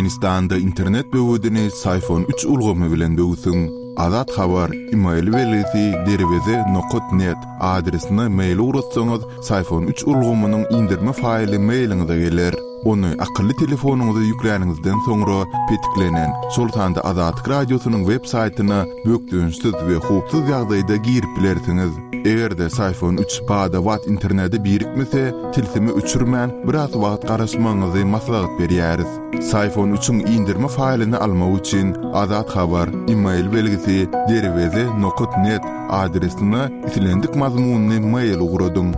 Türkmenistanda internet böwedini Syfon üç ulgamy bilen böwsüň. Azat Habar, email belgisi derweze nokat net adresine mail ugratsaňyz, Syfon üç ulgamynyň indirme faýly mailiňize geler. Ony akylly telefonyňyza ýükläniňizden soňra petiklenen, şol sanda Azatlyk Radiosynyň web saýtyna bökdençsiz we howpsuz ýagdaýda girip bilersiňiz. Eger-de Syfon üç bada-bat internete birikmese, tilsimi öçürmän, biraz wagt garaşmagyňyzy maslahat berýäris. Syfon üçiň indirme faýlyny almak üçin Azat Habar, email belgisi, derweze nokat net adresine islendik mazmunly mail ugradyň.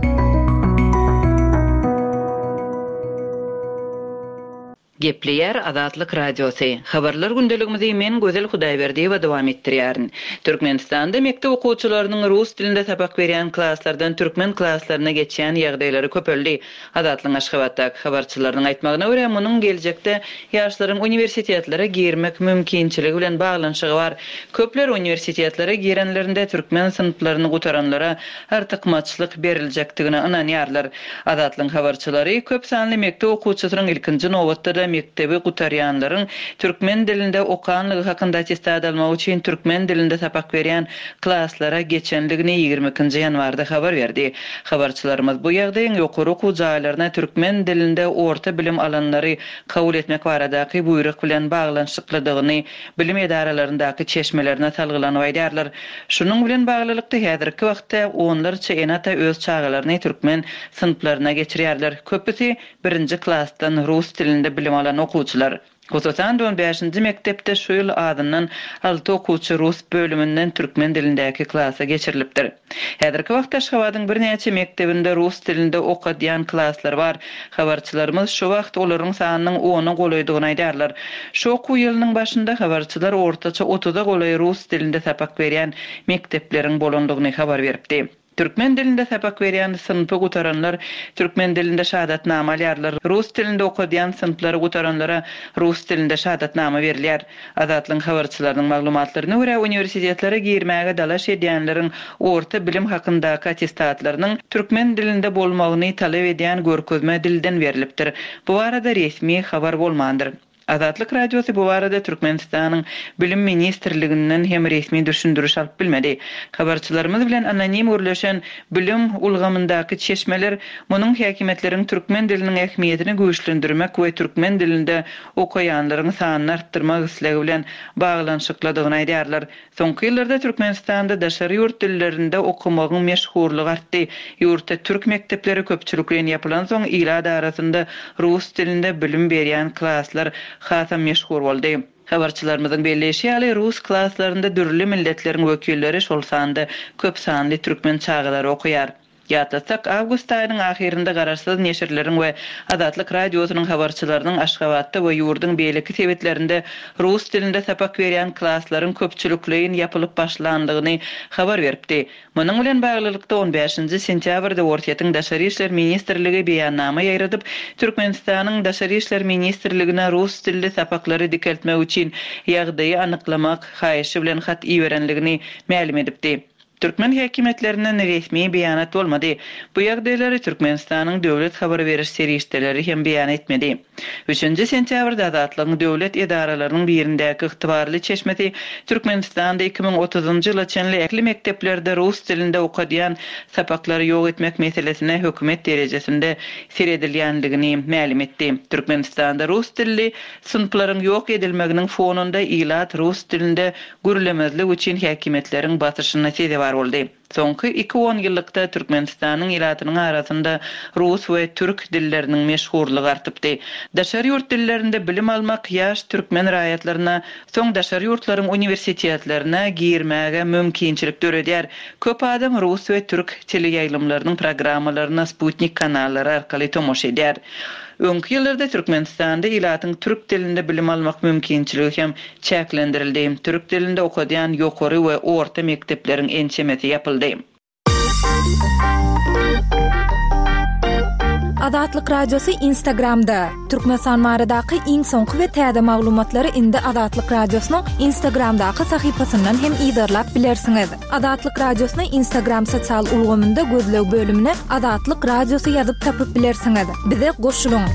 Gepleýär Azatlyk Radiosy. Habarlar gündeligimizi men Gözel Hudaýberdiýewa dowam etdirýärin. Türkmenistanda mekdep okuwçylarynyň rus dilinde sapak berýän klaslardan türkmen klaslaryna geçýän ýagdaýlary köpeldi. Azatlygyň Aşgabatdaky habarçylarynyň aýtmagyna görä, munuň geljekde ýaşlaryň uniwersitetlere girmek mümkinçiligi bilen baglanyşygy bar. Köpler uniwersitetlere girenlerinde türkmen synplaryny gutaranlara artykmaçlyk beriljekdigine ynanýarlar. Azatlygyň habarçylary köp sanly mekdep okuwçysynyň ilkinji nobatda-da mekdebi gutarýanlaryň türkmen dilinde okanlygy hakynda attestat almak üçin türkmen dilinde sapak berýän klaslara geçendigini 22-nji ýanwarda habar berdi. Habarçylarymyz bu ýagdaýyň ýokary okuw jaýlaryna türkmen dilinde orta bilim alanlary kabul etmek baradaky buýruk bilen baglanyşyklydygyny bilim edaralaryndaky çeşmelerine salgylanyp aýdýarlar. Şunuň bilen baglylykda, häzirki wagtda onlarça ene-ata öz çagalaryny türkmen synplaryna geçirýärler. Köpüsi birinji klasdan rus dilinde bilim alan okuwçylar. Hususan-da, on bäşinji mekdepde şu ýyl azyndan alty okuwçy rus bölüminden türkmen dilindäki klasa geçirilipdir. Häzirki wagtda Aşgabadyň birnäçe mekdebinde rus dilinde okadýan klaslar bar. Habarçylarymyz şu wagt olaryň sanynyň ona golaýdygyny aýdýarlar. Şu okuw ýylynyň başynda habarçylar ortaça otuza golaý rus dilinde sapak berýän mekdepleriň bolandygyny habar beripdi. Türkmen dilinde sapak berýän synpy gutaranlar türkmen dilinde şahadatnama alýarlar. Rus dilinde okadýan synplary gutaranlara rus dilinde şahadatnama berilýär. Azatlygyň habarçylarynyň maglumatlaryna görä, uniwersitetlere girmäge dalaş edýänleriň orta bilim hakyndaky attestatlarynyň türkmen dilinde bolmagyny talap edýän görkezme dilden berlipdir. Bu barada resmi habar bolmandyr. Azatlyk Radiosy bu barada Türkmenistanyň Bilim ministrliginden hem resmi düşündiriş alyp bilmedi. Habarçylarymyz bilen anonim gürleşen bilim ulgamyndaky çeşmeler munuň häkimiýetleriň türkmen diliniň ähmiýetini güýçlendirmek we türkmen dilinde okaýanlaryň sanyny artdyrmak islegi bilen baglanyşyklydygyny aýdýarlar. Soňky ýyllarda Türkmenistanda daşary ýurt dillerinde okamagyň meşhurlygy artdy. Ýurtda türk mekdepleri köpçülikleýin ýapylansoň, ilat arasynda rus dilinde bilim berýän klaslar hasam meşhur boldy. Habarçylarymyzyň belleýşi ýaly, rus klaslarynda dürli milletleriň wekilleri, şol sanda köp sanly türkmen çagalary okaýar. Ýatlatsak, awgust aýynyň ahyrynda garaşsyz neşirleriň we Azatlyk Radiosynyň habarçylarynyň Aşgabatda we ýurduň beýleki sebitlerinde rus dilinde sapak berýän klaslaryň köpçülikleýin ýapylyp başlandygyny habar beripdi. Munuň bilen baglylykda, on bäşinji sentýabrda Orsýetiň Daşary işler ministrligi beýannama ýaýradyp, Türkmenistanyň Daşary işler ministrligine rus dilli sapaklary dikeltmek üçin ýagdaýy anyklamak haýyşy bilen hat iberenligini mälim edipdi. Türkmen häkimiýetlerinden resmi beýanat bolmady. Bu ýagdaýlary Türkmenistanyň döwlet habar beriş serişdeleri hem beýan etmedi. Üçünji sentýabrda Azatlygyň döwlet edaralarynyň birindäki ygtybarly çeşmesi Türkmenistanda 2030-njy ýyla çenli ähli mekdeplerde rus dilinde okadýan sapaklary ýok etmek meselesine hökümet derejesinde seredilýändigini mälim etdi. Türkmenistanda rus dilli synplaryň ýok edilmeginiň fonunda ilat rus dilinde gürlemezlik üçin häkimiýetleriň basyşyna sezewar boldy. Soňky iki onýyllykda Türkmenistanyň ilatynyň arasynda rus we türk dilleriniň meşhurlygy artypdy. Daşary ýurt dillerinde bilim almak ýaş türkmen raýatlaryna soň daşary ýurtlaryň uniwersitetlerine girmäge mümkinçilik döredýär. Köp adam rus we türk teleýaýlymlarynyň programmalaryna sputnik kanallary arkaly tomaşa edýär. Öňki ýyllarda Türkmenistanda ilatyň türk dilinde bilim almak mümkinçiligi hem çäklendirildi. Türk dilinde okadýan ýokary we orta mekdepleriň ençemesi ýapyldy. Azatlyk Radiosy Instagramda, Türkmenistan baradaky iň soňky we täze maglumatlary indi Azatlyk Radiosynyň Instagramdaky sahypasyndan hem yzarlap bilersiňiz. Azatlyk Radiosyny Instagram sosial ulgamynda gözleg bölümine Azatlyk Radiosy ýazyp tapyp bilersiňiz. Bize goşulyň!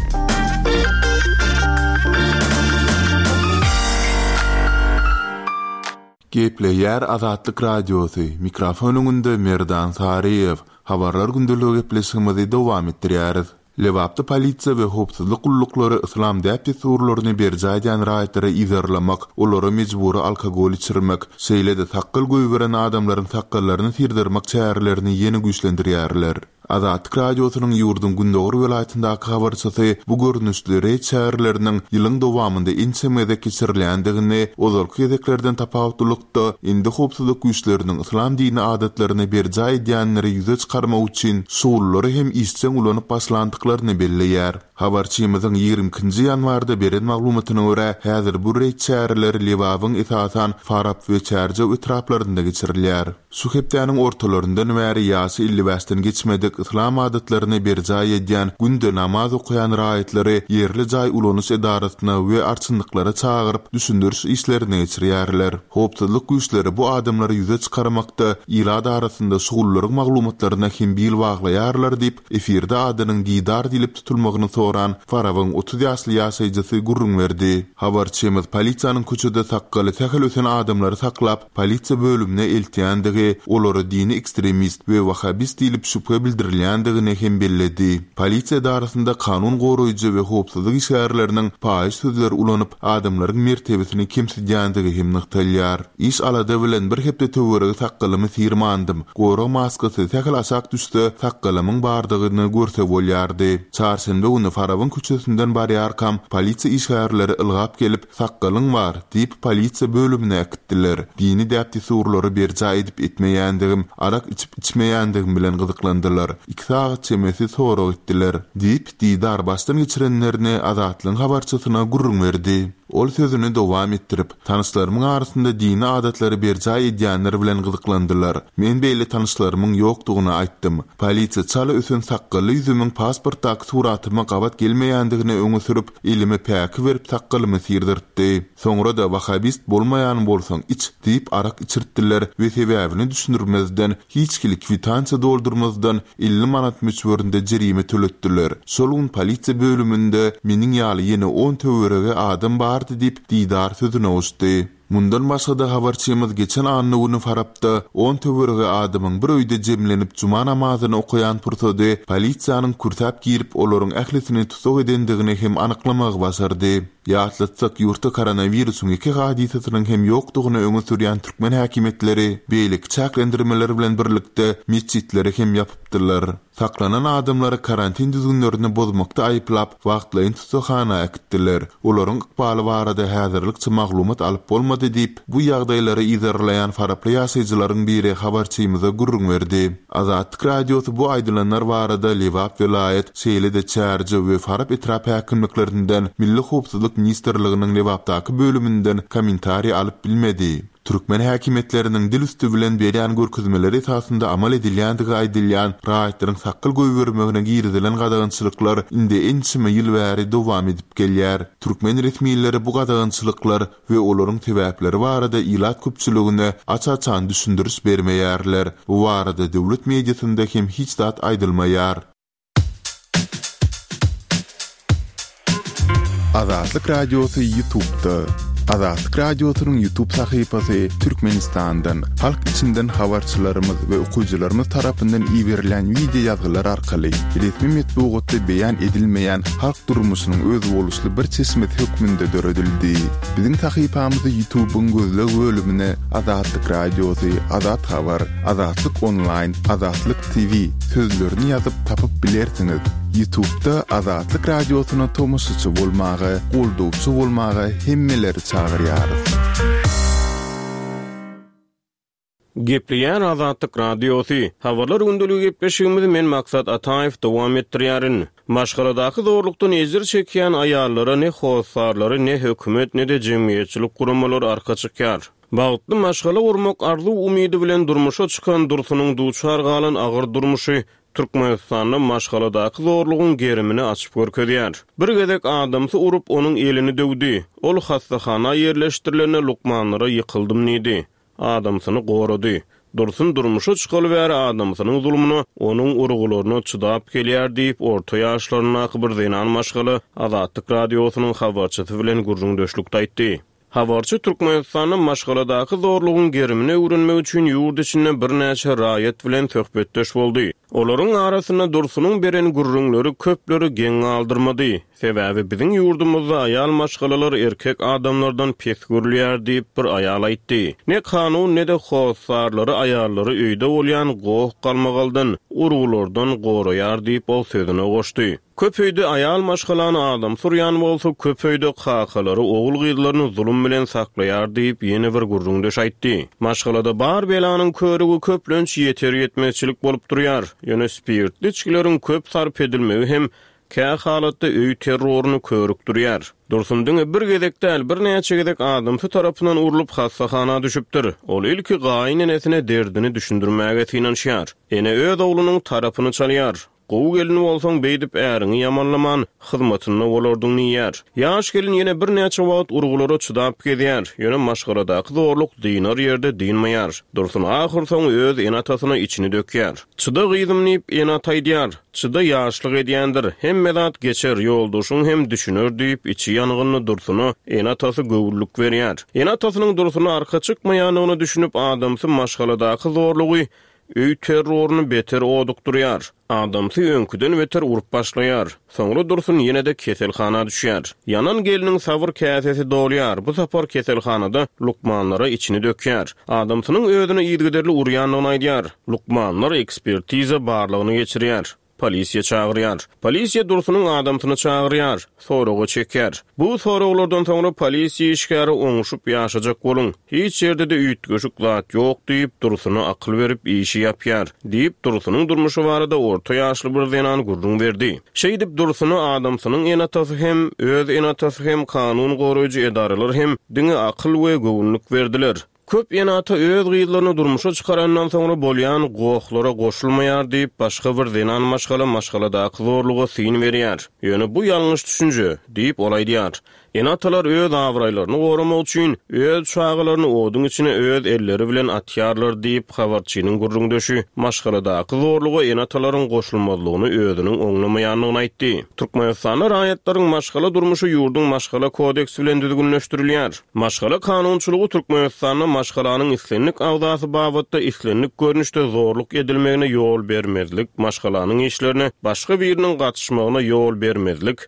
Gepleýär Azatlyk Radiosy, mikrofon öňünde Merdan Saryýew. Habarlar gündeligi gepleşigimizi dowam etdirýäris. Lebapda polisiýa we howpsuzlyk gulluklary yslam däp-dessurlaryny berjaý edýän raýatlary yzarlamak, olara mejbury alkogol içirmek, şeýle-de sakgal goýberen adamlaryň sakgallaryny syrdyrmak çärelerini ýene güýçlendirýärler. Azatlyk Radiosynyň ýurduň gündogar welaýatyndaky habarçysy bu görnüşli reýd çäreleriniň ýylyň dowamynda ençeme gezek geçirilýändigini, ozalky gezeklerden tapawutlylykda, indi howpsuzlyk güýçleriniň yslam dini adatlaryny berjaý edýänleri ýüze çykarmak üçin şugullary hem işjeň ulanyp başlandyklaryny belleýär. Habarçymyzyň ýigrimi ikinji ýanwarda beren maglumatyna görä, häzir bu reýd çäreleri Lebabyň esasan Farap we Çärjew etraplarynda geçirilýär. Şu hepdäniň ortalaryndan bäri ýaşy 55-den geçmedik, yslam adatlaryny berjaý edýän, günde namaz okaýan raýatlary ýerli jaý ulanyş edarasyna we arçynlyklara çagyryp, düşündiriş işlerini geçirýärler. Howpsuzlyk güýçleri bu adamlary ýüze çykarmakda ilat arasynda şugullaryň maglumatlaryna hem bil baglaýarlar diýip, efirde adynyň Didar diýlip tutulmagyny soran Farabyň 30 ýaşly ýaşaýjysy gürrüň berdi. Habarçymyz polisiýanyň köçede sakgaly sähel ösen adamlary saklap, polisiýa bölümine eltýändigi, olara dini ekstremist we wahhabist diýlip şübhe bildirilýändigini hem belledi. Polisiýa edarasynda kanun goraýjy we howpsuzlyk işgärleriniň paýyş sözleri ulanyp, adamlaryň mertebesini kemsidýändigi hem nygtalýar. Iş-alada bilen bir hepde töweregi sakgalymy syrmandym. Gorag maskasy sähel aşak düşse, sakgalymyň bardygyny görse bolýardy. Çarşenbe güni Farabyň köçesinden barýarkam, polisiýa işgärleri ylgap gelip, Sakgalyň bar, diýip, polisiýa bölümine äkitdiler. Dini däp-dessurlary berjaý edip-etmeýändigim, arak içip-içmeýändigim bilen gyzyklandylar. Iki sagat çemesi sorag etdiler. Diýip, Didar başdan geçirenlerini Azatlygyň habarçysyna gürrüň berdi. Ol sözüni dowam etdirip, Tanyşlarymyň arasynda dini adatlary berjaý edýänler bilen gyzyklandylar. Men beýle tanyşlarymyň ýokdugyny aýtdym. Polisiýa çala ösen sakgally ýüzümiň pasportdaky suratyma gabat gelmeýändigini öňe sürüp, Elime päki berip sakgalymy syrdyrtdy. Soňra-da Wahabist bolmaýan bolsaň iç diýip arak içirtdiler we sebäbini düşündirmezden, hiç hili kwitansiýa doldurmazdan 50 manat möçberinde jerime töletdiler. Şol gün polisiýa bölüminde meniň ýaly ýene on töweregi adam bardy diýip, Didar sözüne goşdy. Mundan başga-da habarçymyz geçen anna güni Farapda on töweregi adamyň bir öýde jemlenip juma namazyny okaýan pursady polisiýanyň kürsäp girip olaryň ählisini tussag edendigini hem anyklamagy başardy. Ýatlatsak, ýurtda koronawirusyň ýeke hadysasynyň hem ýokdugyny öňe sürýän türkmen häkimiýetleri beýleki çäklendirmeler bilen birlikde metjitleri hem ýapypdylar. Saklanan adamlary karantin düzgünlerini bozmakda aýyplap, wagtlaýyn tussaghana äkitdiler. Olaryň ykbaly barada häzirlikçe maglumat alyp bolmady diýip, bu ýagdaýlary yzarlaýan faraply ýaşaýjylaryň biri habarçymyza gürrüň berdi. Azatlyk Radiosy bu aýdylanlar barada Lebap welaýat, şeýle-de Çärjew we Farap etrap häkimliklerinden, Milli howpsuzlyk ministrliginiň Lebapdaky bölüminden kommentariý alyp bilmedi. Türkmen häkimiýetleriniň dil üsti bilen berýän görkezmeleri esasynda amal edilýändigi aýdylýan raýatlaryň sakgal goýbermegine girizilen gadagançylyklar indi ençeme ýyl bäri dowam edip gelýär. Türkmen resmileri bu gadagançylyklar we olaryň sebäpleri barada ilat köpçüligine aç-açan düşündiriş bermeýärler. Bu barada döwlet mediasynda hem hiç zat aýdylmaýar. Azatlyk Radiosy YouTube'da. Azatlyk Radiosynyň YouTube sahypasy Türkmenistandan, halk içinden habarçylarymyz we okyjylarymyz tarapyndan iberilen wideo ýazgylar arkaly resmi metbugatda beýan edilmeýän halk durmuşynyň özboluşly bir çeşmesi hökmünde döredildi. Biziň sahypamyzy YouTube'yň gözleg bölümine Azatlyk Radiosy, Azat Habar, Azatlyk Onlaýn, Azatlyk TV sözlerini ýazyp tapyp bilersiňiz. Ýutubda Azatlyk Radiosyna tomaşaçy bolmaga, goldawçy bolmaga hemmeleri çagyrýarys. Gepleýär Azatlyk Radiosy. Habarlar gündeligi gepleşigimizi men Maksat Ataýew dowam etdirýärin. Maşgaladaky zorlukdan ejir çekýän aýallara ne hossarlary, ne hökümet, ne-de jemgyýetçilik guramalary arka çykýar. Bagtly maşgala gurmak arzuw-umydy bilen durmuşa çykan Dursunyň duçar galan agyr durmuşy Türkmenistanda maşgaladaky zorlugyň gerimini açyp görkezýär. Bir gezek adamsy urup, onuň elini döwdi. Ol hassahana ýerleşdirilende lukmanlara ýykyldym diýdi. Adamsyny gorady. Dursun durmuşa çykaly bäri adamsynyň zulmuna, onuň urgularyna çydap gelýär diýip, orta ýaşlaryndaky bir zenan maşgala Azatlyk Radiosynyň habarçysy bilen gürrüňdeşlikde aýtdy. Habarçy Türkmenistanda maşgaladaky zorlugyň gerimini öwrenmek üçin ýurt içinde birnäçe raýat bilen söhbetdeş boldy. Olaryň arasynda Dursunyň beren gürrüňleri köpleri geň galdyrmady. Sebäbi biziň ýurdumyzda aýal maşgalalar erkek adamlardan pes görülýär diýip, bir aýal aýtdy. Ne kanun, ne-de hossarlary aýallary öýde bolýan goh-galmagaldan, urgulardan goraýar diýip, ol sözüne goşdy. Köp öýde aýal maşgalany adamsy urýan bolsa, köp öýde kakalary ogul-gyzlaryny zulum bilen saklaýar diýip, ýene bir gürrüňdeş aýtdy. Maşgalada bar belanyň körügi köplenç ýeter-ýetmezçilik bolup durýar. Ýöne spirtli içgileriň köp sarp edilmegi hem kä halatda öý terroryny körükdirýär. Dursun diňe bir gezek däl, birnäçe gezek adamsy tarapyndan urlup hassahana düşüpdir. Ol ilki gaýynenesine derdini düşündirmäge synanyşýar. Ene öz oglunyň tarapyny çalýar. Gowy gelin bolsaň beýdip äriňi ýamanlaman, hyzmatynda bolardyň diýýär. Ýaş gelin ýene birnäçe wagt urgulara çydap gezýär, ýöne maşgaladaky zorluk dynar ýerde dynmaýar. Dursun ahyrsoňy öz ene-atasyna içini dökýär. Çyda gyzym diýip, ene-ata aýdýar. Çyda ýaşlyk edýändir, hemme zat geçer, ýoldaşyň hem düşüner diýip, içi ýangynly Dursuna ene-atasy göwünlik berýär. Ene-atasynyň Dursuna arka çykmaýandygyna düşünip, adamsy maşgaladaky zorlugy Öý terroryny beter odukdyrýar. Adamsy öňküden beter urup başlaýar. Soňra Dursun ýene-de keselhana düşýär. Ýanan gelniň sabyr käsesi dolýar, bu sapar keselhanada lukmanlara içini dökýär. Adamsynyň özüne yzygiderli urýandygyny aýdýar. Lukmanlar ekspertiza barlagyny geçirýär. Polisiýa çagyrýar. Polisiýa Dursunyň adamsyny çagyrýar. Soraga çekýär. Bu soraglardan soňra polisiýa işgäri oňuşyp ýaşajak boluň. Hiç ýerde-de üýtgeşik zat ýok diýip, Dursuna akyl berip işi ýapýar. Diýip, Dursunyň durmuşy barada orta ýaşly bir zenan gürrüň berdi. Şeýdip, Dursuna adamsynyň ene-atasy hem, öz ene-atasy hem, kanun goraýjy edaralar hem diňe akyl we göwünlik berdiler. Köp ene-ata öz gyzlaryny durmuşa çykarandan soňra bolýan gohlara goşulmaýar diýip, başga bir zenan maşgala maşgaladaky zorluga syn berýär. Ýöne bu ýalňyş düşünje, diýip, ol aýdýar. Ene-atalar öz abraýlaryny goramak üçin, öz çagalaryny oduň içine öz elleri bilen atýarlar diýip, habarçynyň gürrüňdeşi maşgaladaky zorluga ene-atalaryň goşulmazlygyny özüniň oňlamaýandygyny aýtdy. Türkmenistanda raýatlaryň maşgala durmuşy ýurduň Maşgala kodeksi bilen düzgünleşdirilýär. Maşgala kanunçylygy Türkmenistanda maşgalanyň islendik agzasy babatda islendik görnüşde zorluk edilmegine ýol bermezlik, maşgalanyň işlerine başga biriniň gatyşmagyna ýol bermezlik,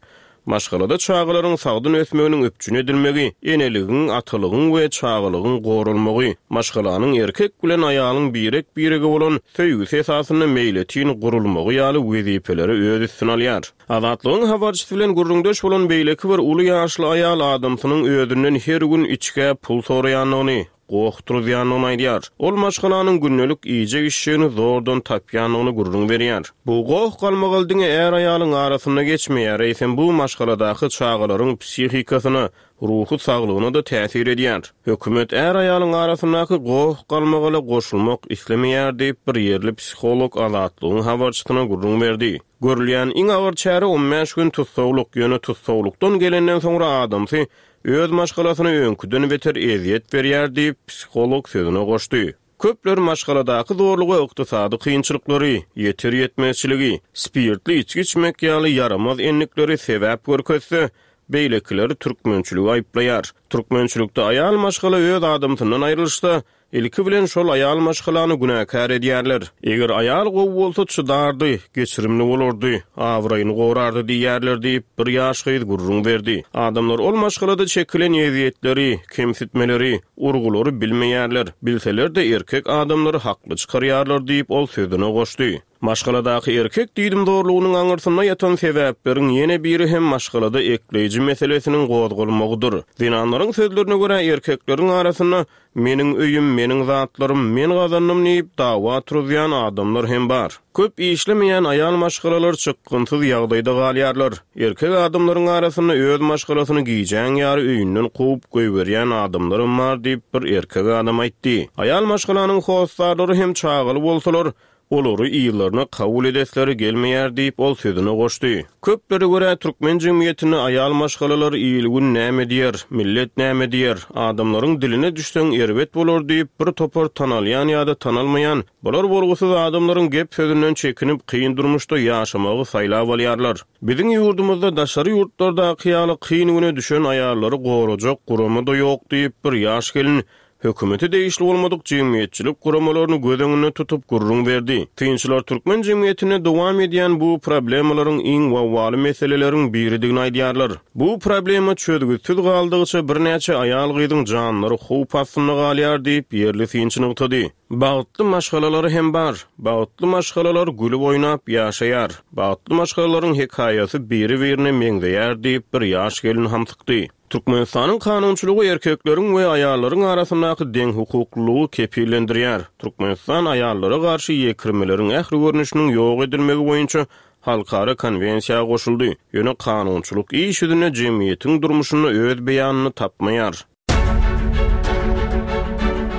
maşgalada çagalaryň sagdyn ösmeginiň üpjün edilmegi, eneligiň, atalygyň we çagalygyň goralmagy, maşgalanyň erkek bilen aýalyň birek-birege bolan söýgüsi esasynda meýletin gurulmagy ýaly wezipeleri öz üstüne alýar. Azatlygyň habarçysy bilen gürrüňdeş bolan beýleki bir uly ýaşly aýal adamsynyň özünden her gün içgä pul soraýandygyny, goh turuzýandygyny aýdýar. Ol maşgalanyň gündelik iýjek-içjegini zordan tapýandygyny gürrüň berýär. Bu goh-galmagal diňe är-aýalyň arasynda geçmeýär, eýsem bu maşgaladaky çagalaryň psihikasyna, ruhy saglygyna-da täsir edýär. Hökümet är-aýalyň arasyndaky goh-galmagala goşulmak islemeýär diýip, bir ýerli psiholog Azatlygyň habarçysyna gürrüň berdi. Görülýän iň agyr çäre on bäş gün tussaglyk, ýöne tussaglykdan gelenden soňra adamsy öz maşgalasyna öňküden beter ezýet berýär diýip, psiholog sözüne goşdy. Köpler maşgaladaky zorluga ykdysady kynçylyklary, ýeter-ýetmezçiligi, spirtli içgi içmek ýaly ýaramaz endikleri sebäp görkezse, beýlekileri türkmençiligi aýyplaýar. Türkmençilikde aýal maşgala öz adamsyndan aýrylyşsa, Ilki bilen şol aýal maşgalany günäkär edýärler. Eger aýal gowy bolsa çydardy, geçirimli bolardy, abraýyny gorardy diýýärler diýip, bir ýaş gyz gürrüň berdi. Adamlar ol maşgalada çekilen ezýetleri, kemsitmeleri, urgulary bilmeýärler, bilseler-de erkek adamlary hakly çykarýarlar diýip, ol sözüne goşdy. Maşgaladaky erkek diýdimzorlugynyň aňyrsynda ýatan sebäpleriň ýene biri hem maşgalada ekleýji meselesiniň gozgalmagydyr. Zenanlaryň sözlerine görä, erkekleriň arasynda Meniň öýüm, meniň zatlarym, men gazandym diýip, dawa turuzýan adamlar hem bar. Köp işlemeýän aýal maşgalalar çykgynsyz ýagdaýda galýarlar. Erkek adamlaryň arasynda öz maşgalasyny gijäň ýary öýünden kowup goýberýän adamlaram bar diýip, bir erkek adam aýtdy. Aýal maşgalanyň hossarlary hem çagaly bolsalar, Olary yzlaryna kabul edesleri gelmeýär diýip, ol sözüne goşdy. Köplere görä, türkmen jemgyýetinde aýal maşgalalar il-gün näme diýer, millet näme diýer, adamlaryň diline düşseň erbet bolar diýip, bir topar tanalýan ýa-da tanalmaýan, bolar-bolgusyz adamlaryň gep-sözünden çekinip, kyn durmuşda ýaşamagy saýlap alýarlar. Biziň ýurdumyzda daşary ýurtlardaky ýaly kyn güne düşen aýallary gorajak gurama-da ýok diýip, bir ýaş gelin hökümete degişli bolmadyk jemgyýetçilik guramalaryny göz öňünde tutup gürrüň berdi. Synçylar türkmen jemgyýetinde dowam edýän bu problemalaryň iň wawwaly meseleleriň biridigini aýdýarlar. Bu problema çözgütsiz galdygyça birnäçe aýal-gyzyň janlary howp astynda galýar diýip, ýerli synçy nygtady. Bagtly maşgalalar hem bar. Bagtly maşgalalar gülüp oýnap ýaşaýar. Bagtly maşgalalaryň hekaýasy biri-birine meňzeýär diýip, bir ýaş gelin hamsykdy. Türkmenistanyň kanunçylygy erkekleriň we aýallaryň arasyndaky deňhukuklylygy kepillendirýär. Türkmenistan aýallara garşy ýekirmeleriň ähli görnüşiniň ýok edilmegi boýunça halkara konwensiýa goşuldy, ýöne kanunçylyk iş ýüzünde jemgyýetiň durmuşynda öz beýanyny tapmaýar.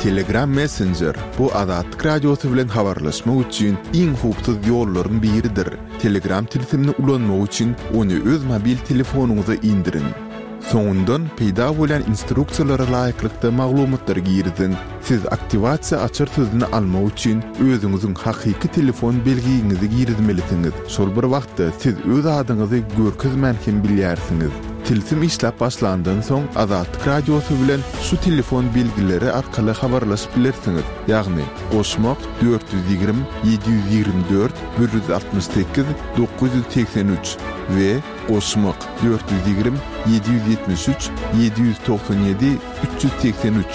Telegram Messenger, bu Azatlyk Radiosy bilen habarlaşmak üçin iň howpsuz ýollaryň biridir. Telegram tilsimini ulanmak üçin ony öz mobil telefonyňyza indiriň. Soňundan peýda bolýan instruksiýalara laýyklykda maglumatlary giriziň. Siz aktiwasiýa açar sözüni almak üçin özüňiziň hakyky telefon belgiňizi girizmelisiňiz. Şol bir wagtda siz öz adyňyzy görkezmän hem bilýärsiňiz. Tilsim işläp başlandan soň Azatlyk Radiosy bilen şu telefon belgileri arkaly habarlaşyp bilersiňiz, ýagny, goşmak, 420 724 168 983 we goşmak, 420 773 797 383.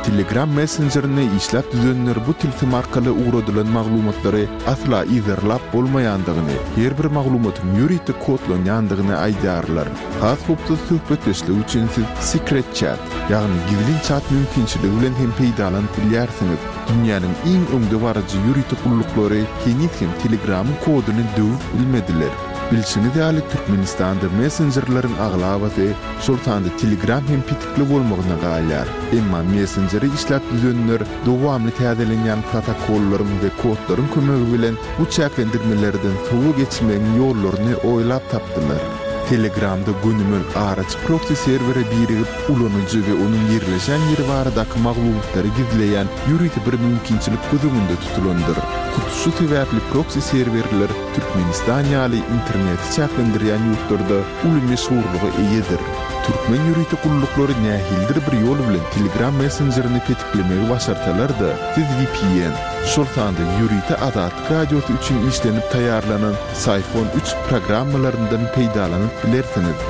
Telegram messenjerini işläp düzenler bu tilsim arkaly ugradylan maglumatlary asla yzarlap bolmaýandygyny, her bir maglumatyň ýörite kodlanýandygyny aýdýarlar. Has howpsuz söhbetdeşlik üçin siz Secret Chat, ýagny gizlin çat mümkinçiligi bilen hem peýdalanyp bilýärsiňiz. Dünýäniň iň öňdebaryjy ýörite gulluklary heniz hem Telegramyň koduny döwüp bilmediler. Bilşiňiz ýaly, Türkmenistanda messenjerleriň aglabasy, şol sanda Telegram hem petikli bolmagyna galýar. Emma messenjeri işläp düzenler dowamly täzelenýän protokollaryň we kodlaryň kömegi bilen bu çäklendirmelerden sowa geçmegiň ýollaryny oýlap tapdylar. Telegramda gönümel araçy proksi serwere birigip, ulanyjy we onuň ýerleşen ýeri baradaky maglumatlary gizleýän ýörite bir mümkinçilik göz öňünde tutulandyr. Hut şu sebäpli proksi serwerler Türkmenistan ýaly interneti çäklendirýän ýurtlarda uly meşhurlyga eýedir. Türkmen ýörite gulluklary nähilidir bir ýol bilen Telegram messenjerini petiklemegi başarsalar-da, siz vpn, şol sanda ýörite Azatlyk Radiosy üçin işlenip taýýarlanan Syphon üç programmalaryndan peýdalanyp bilersiňiz.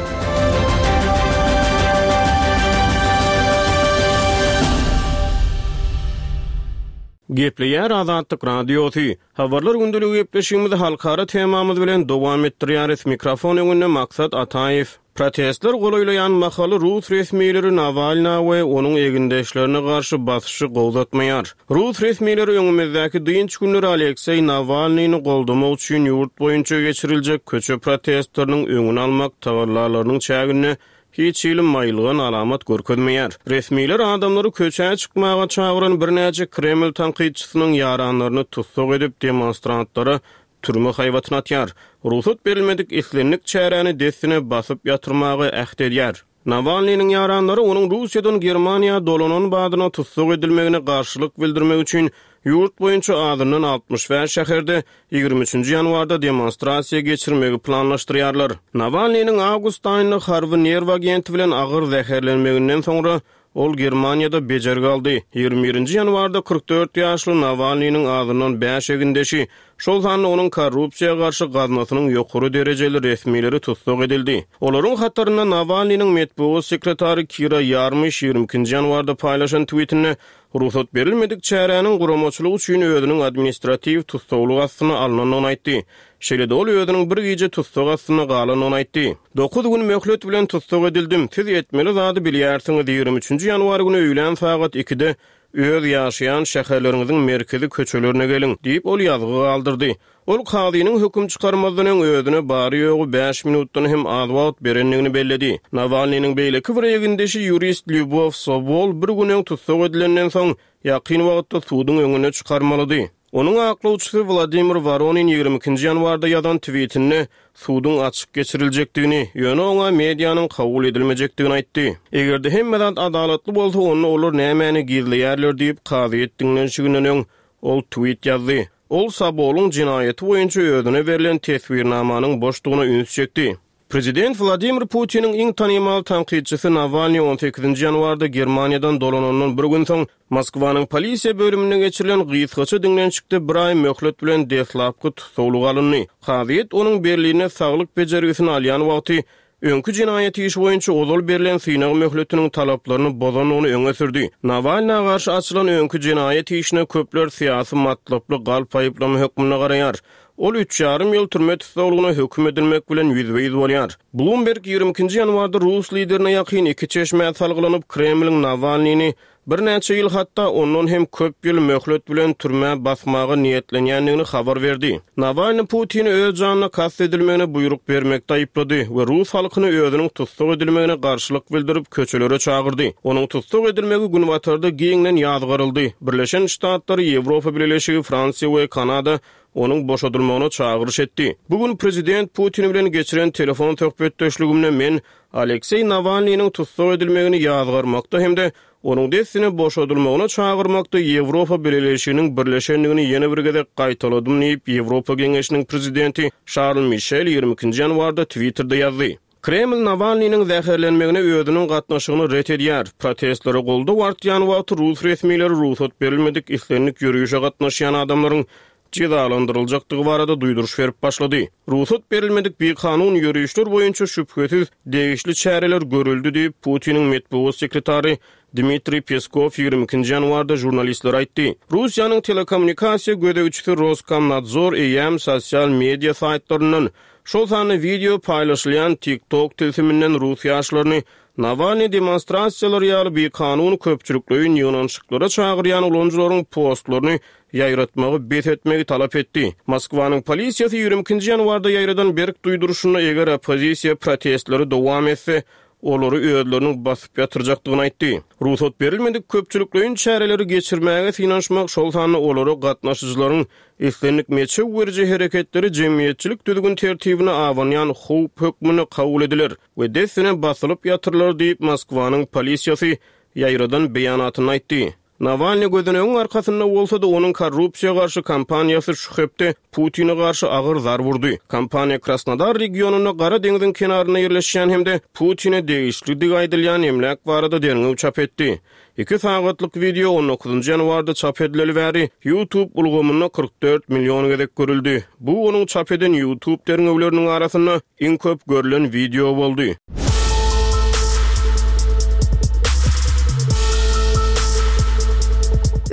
Gepleýär Azatlyk Radiosy. Habarlar gündeligi gepleşigimizi halkara temamyz bilen dowam etdirýäris. Mikrofon öňünde Maksat Ataýew. Protestler golaýlaýan mahaly rus resmileri Nawalna we onuň egindeşlerine garşy basyşy gowzatmaýar. Rus resmileri öňümizdäki dynç günleri Alekseý Nawalnyny goldamak üçin ýurt boýunça geçiriljek köçe protestleriniň öňüni almak tagallalarynyň çäginde hiç hili maýylgan alamat görkezmeýär. Resmiler adamlary köçä çykmaga çagyran birnäçe Kreml tankytçysynyň ýaranlaryny tussag edip, demonstrantlara türme haýbatyny atýar. Rugsat berilmedik islendik çäräni dessine basyp ýatyrmaga äht edýär. Nawalnynyň ýaranlary onuň Russiýadan Germaniýa dolanan badyna tussag edilmegine garşylyk bildirmek üçin ýurt boýunça azyndan 65 şäherde 23-nji ýanwarda demonstrasiýa geçirmegi planlaşdyrýarlar. Nawalnynyň awgust aýynda harby nerw agenti bilen agyr zäherlenmeginden soňra, ol Germaniýada bejergi aldy. 21-nji ýanwarda 44 ýaşly Nawalnynyň azyndan bäş egindeşi, şol sanda onuň korrupsiýa garşy gaznasynyň ýokary derejeli resmileri tussag edildi. Olaryň hatarynda Nawalnynyň metbugat sekretary Kira Ýarmyş 22-nji ýanwarda paýlaşan twitinde Rugsat berilmedik çäräniň guramaçylygy üçin özüniň administratiw tussaglyk astyna alnandygyny aýtdy. Şeýle-de ol özüniň bir gije tussag astynda galandygyny aýtdy. Dokuz gün möhlet bilen tussag edildim. Siz etmeli zady bilýärsiňiz, 23 nji ýanwar güni öýlän sagat ikide öz ýaşaýan şäherleriňiziň merkezi köçelerine geliň, diýip, ol ýazgy galdyrdy. Ol kazynyň höküm çykarmazdan öň özüne bary-ýogy bäş minutdan hem az wagt berendigini belledi. Nawalnynyň beýleki bir egindeşi ýurist Lýubow Sobol bir gün öň tussag edilenden soň, ýakyn wagtda suduň öňüne çykarmalydy. Onuň aklawçysy Wladimir Woronin 22-nji ýanwarda ýazan twitinde suduň açyk geçiriljekdigini, ýöne oňa medianyň kabul edilmejekdigini aýtdy. Eger-de hemme zat adalatly bolsa, onda olar nämäni gizleýärler diýip, kazyýet diňlenişiginden öň ol twit ýazdy. Ol Sobolyň jenaýaty boýunça özüne berlen teswirnamanyň boşdugyna üns çekdi. Prezident Wladimir Putiniň iň tanymal tankytçysy Nawalnyý on sekizinji ýanwarda Germaniýadan dolanandan bir gün soň, Moskwanyň polisiýa bölüminde geçirilen gysgaça diňlenişikde bir aý möhlet bilen deslapky tussaglyga alyndy. Kazyýet onuň Berlinde saglyk bejergisini alýan wagty öňki jenaýat işi boýunça ozal berlen synag möhletiniň talaplaryny bozandygyny öňe sürdi. Nawalna garşy açylan öňki jenaýat işine köpler syýasy matlaply galp aýyplama hökmünde garaýar. Ol üç ýarym ýyl türme tussaglygyna höküm edilmek bilen ýüzbe-ýüz bolýar. Bloomberg 22 nji ýanwarda rus liderine ýakyn iki çeşmä salgylanyp, Kremliň Nawalnyny birnäçe ýyl, hatda ondan hem köp ýyl möhlet bilen türmä basmaga niýetlenýändigini habar berdi. Nawalny Putini öz janyna kast edilmegine buýruk bermekde aýyplady we rus halkyny özüniň tussag edilmegine garşylyk bildirip, köçelere çagyrdy. Onuň tussag edilmegi Günbatarda giňden ýazgaryldy. Birleşen Ştatlar, Ýewropa Bileleşigi, Fransiýa we Kanada onuň boşadylmagyna çagyryş etdi. Bu gün prezident Putin bilen geçiren telefon söhbetdeşligimde men Alekseý Nawalnynyň tussag edilmegini ýazgarmakda hem-de onuň dessine boşadylmagyna çagyrmakda Ýewropa Bileleşiginiň birleşendigini ýene bir gezek gaýtaladym diýip, Ýewropa Geňeşiniň prezidenti Şarl Mişel 22 nji ýanwarda Twitterde ýazdy. Kreml Nawalnynyň zäherlenmegine özüniň gatnaşygyny ret edýär. Protestlere goldaw artýan wagty rus resmileri rugsat berilmedik islendik ýörişe gatnaşýan adamlaryň jezalandyryljakdygy barada duýduryş berip başlady. Rugsat berilmedik bikanun ýörişler boýunça şübhesiz degişli çäreler görüldi diýip, Putiniň metbugat sekretary Dmitriý Peskow 22 nji ýanwarda žurnalistlere aýtdy. Russiýanyň telekommunikasiýa gözegçisi Roskomnadzor eýýäm sosial media saýtlaryndan, şol sanda wideo paýlaşylýan TikTok tilsiminden rus ýaşlaryny Nawalnyý demonstrasiýalary ýaly bikanun köpçülikleýin ýygnanyşyklara çagyrýan ulanyjylaryň postlaryny ýaýratmagy bes etmegi talap etdi. Moskwanyň polisiýasy 22 nji ýanwarda ýaýradan berk duýduryşynda eger oppozisiýa protestleri dowam etse, olary özleriniň basyp ýatyrjakdygyny aýtdy. Rugsat berilmedik köpçülikleýin çäreleri geçirmäge synanyşmak, şol sanda olara gatnaşyjylaryň islendik meçew beriji hereketleri jemgyýetçilik düzgün-tertibine abanýan howp hökmünde kabul ediler we dessine basylyp ýatyrylar diýip, Moskwanyň polisiýasy ýaýradan beýanatynda aýtdy. Nawalnyý gözenegiň arkasynda bolsa-da, onuň korrupsiýa garşy kampaniýasy şu hepde Putine garşy agyr zarb urdy. Kampaniýa Krasnodar regionynda Gara deňziň kenarynda ýerleşýän hem-de Putine degişlidigi aýdylýan emläk barada derňew çap etdi. Iki sagatlyk wideo on dokuzynjy ýanwarda çap edileli bäri YouTube ulgamynda 44 million gezek görüldi. Bu onuň çap eden YouTube derňewleriniň arasynda Iň köp görlen wideo boldy.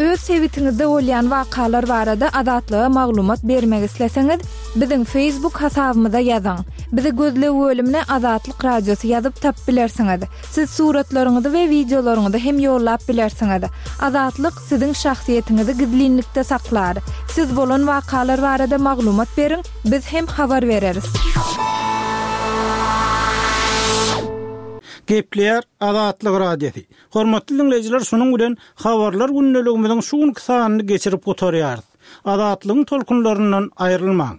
Öz sebitiňizde bolýan wakalar barada Azatlyga maglumat bermek isleseňiz, biziň Facebook hasabymyza ýazyň. Bizi gözleg bölümine Azatlyk Radiosy ýazyp tapyp bilersiňiz. Siz suratlaryňyzy we wideolaryňyzy hem ýollap bilersiňiz. Azatlyk siziň şahsyýetiňizi gizlinlikde saklar. Siz bolan wakalar barada maglumat beriň, Biz hem habar bereris. Gepleýär Azatlyk Radiosy. Hormatly diňleýjiler şunuň bilen Habarlar gündeligimiziň şu günki sanyny geçirip gutarýarys. Azatlygyň tolkunlaryndan aýrylmaň.